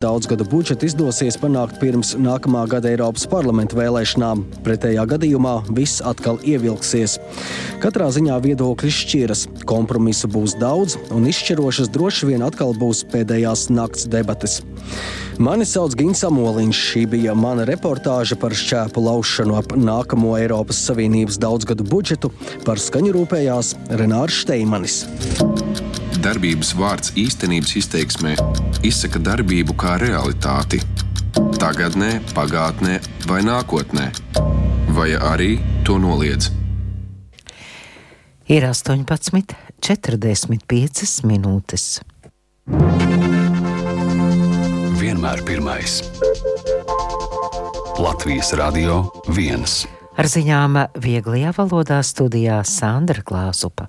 Daudzgadu budžetu izdosies panākt pirms nākamā gada Eiropas parlamenta vēlēšanām. Pretējā gadījumā viss atkal ievilksies. Katrā ziņā viedokļi šķiras. Kompromisu būs daudz un izšķirošas droši vien atkal būs pēdējās nakts debates. Mani sauc Gins Amoliņš. Šī bija mana reportāža par šķēpu laušanu ap nākamo Eiropas Savienības daudzgadu budžetu. Par skaņu rūpējās Renārs Šteimanis. Darbības vārds īstenības izteiksmē izsaka darbību kā realitāti. Tagadnē, pagātnē vai nākotnē. Vai arī to noliedz. Ir 18:45 minūtes. Vienmēr pirmais. Latvijas Radio 1. Ar ziņām vieglajā valodā studijā Sandra Klāsupa.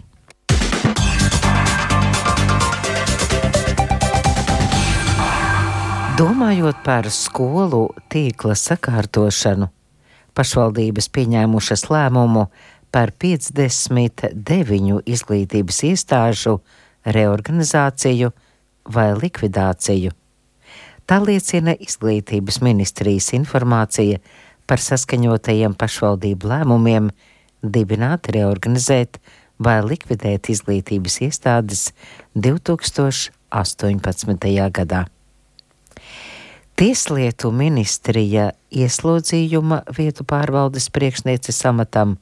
Domājot par skolu tīkla sakārtošanu, pašvaldības pieņēmušas lēmumu par 59 izglītības iestāžu reorganizāciju vai likvidāciju. Tā liecina Izglītības ministrijas informācija par saskaņotajiem pašvaldību lēmumiem dibināt, reorganizēt vai likvidēt izglītības iestādes 2018. gadā. Tieslietu ministrija ieslodzījuma vietu pārvaldes priekšnieces amatam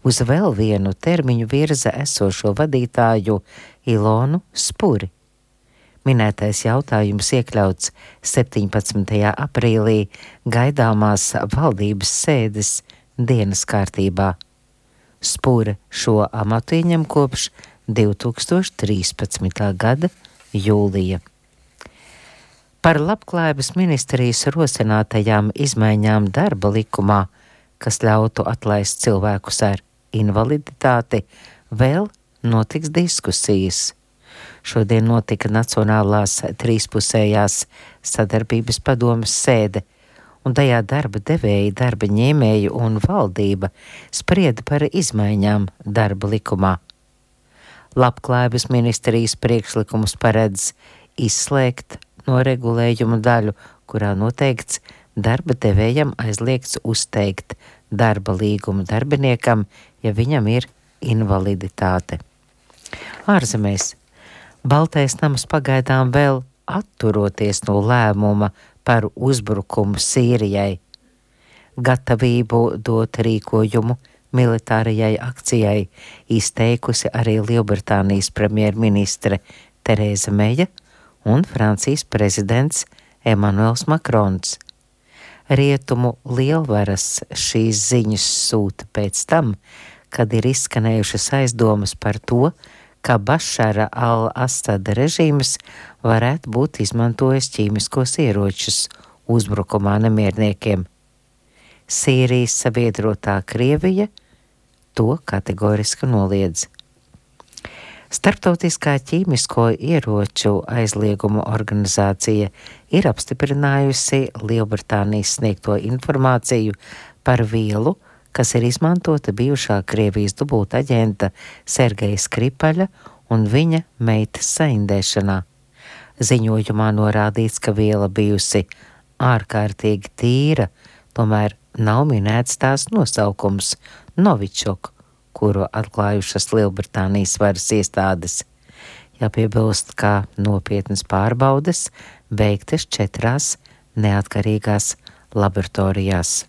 uz vēl vienu termiņu virza esošo vadītāju Ilonu Spuri. Minētais jautājums iekļauts 17. aprīlī gaidāmās valdības sēdes dienas kārtībā. Spura šo amatu ieņem kopš 2013. gada jūlija. Par Labklājības ministrijas rosinātajām izmaiņām darba likumā, kas ļautu atlaist cilvēkus ar invaliditāti, vēl notiks diskusijas. Šodien notika Nacionālās trīspusējās sadarbības padomes sēde, un tajā darba devēji, darba ņēmēji un valdība sprieda par izmaiņām darba likumā. Labklājības ministrijas priekšlikums paredz izslēgt no regulējuma daļu, kurā noteikts darba devējam aizliegts uzteikt darba līgumu darbiniekam, ja viņam ir invaliditāte. Ārzemēs Baltais nams pagaidām vēl atturoties no lēmuma par uzbrukumu Sīrijai. Gatavību dot rīkojumu militārajai akcijai izteikusi arī Lielbritānijas premjerministre Tereza Meja un Francijas prezidents Emanuels Makrons. Rietumu lielvaras šīs ziņas sūta pēc tam, kad ir izskanējušas aizdomas par to, ka Bašara al-Asada režīms varētu būt izmantojis ķīmiskos ieročus uzbrukumā nemierniekiem. Sīrijas sabiedrotā Krievija to kategoriski noliedz. Starptautiskā ķīmisko ieroču aizliegumu organizācija ir apstiprinājusi Lielbritānijas sniegto informāciju par vielu, kas ir izmantota bijušā Krievijas dubultaģenta Sergeja Skripaļa un viņa meitas saindēšanā. Ziņojumā norādīts, ka viela bijusi ārkārtīgi tīra, tomēr nav minēts tās nosaukums Novičok, kuru atklājušas Lielbritānijas varas iestādes. Jāpiebilst, ka nopietnas pārbaudes veiktas 4 neatkarīgās laboratorijās.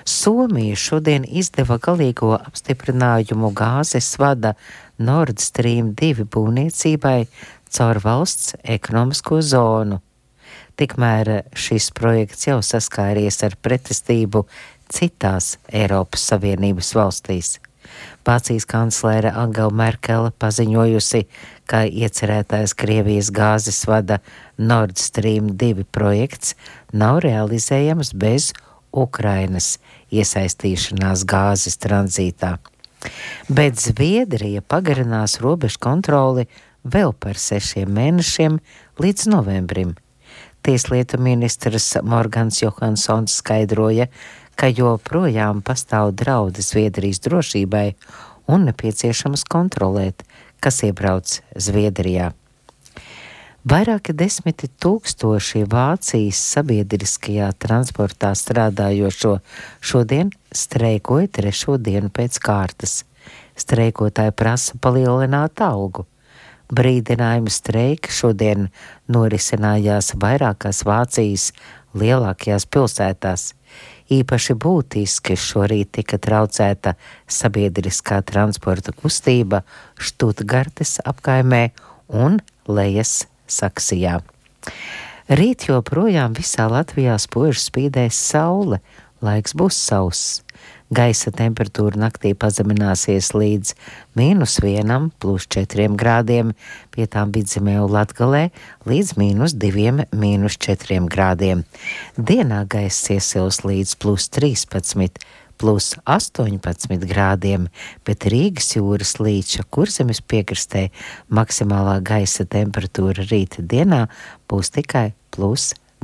Somija šodien izdeva galīgo apstiprinājumu gāzes vada Nord Stream 2 būvniecībai caur valsts ekonomisko zonu. Tikmēr šis projekts jau saskāries ar pretestību citās Eiropas Savienības valstīs. Vācijas kanclere Angela Merkele paziņojusi, ka iecerētais Krievijas gāzes vada Nord Stream 2 projekts nav realizējams bez Ukrainas iesaistīšanās gāzes tranzītā. Bet Zviedrija pagarinās robežu kontroli vēl par 6 mēnešiem līdz novembrim. Tieslietu ministrs Morgans Johansons skaidroja, ka joprojām pastāv draudi Zviedrijas drošībai un nepieciešams kontrolēt, kas iebrauc Zviedrijā. Vairāki 10 000 Vācijas sabiedriskajā transportā strādājošo šodien streikoja 3. dienu pēc kārtas. Streikotāji prasa palielināt algu. Brīdinājuma streiki šodien norisinājās vairākās Vācijas lielākajās pilsētās. Īpaši būtiski šorīt tika traucēta sabiedriskā transporta kustība Štutgartes apkaimē un Lejas Saksijā. Rīt joprojām visā Latvijā spoži spīdēs saule, laiks būs sauss. Gaisa temperatūra naktī pazemināsies līdz -1, +4 grādiem, pie tām Vidzemē un Latgalē līdz -2, -4 grādiem. Dienā gaiss iesils līdz +13, +18 grādiem, bet Rīgas jūras līča Kurzemes piekrastē maksimālā gaisa temperatūra rīta dienā būs tikai +4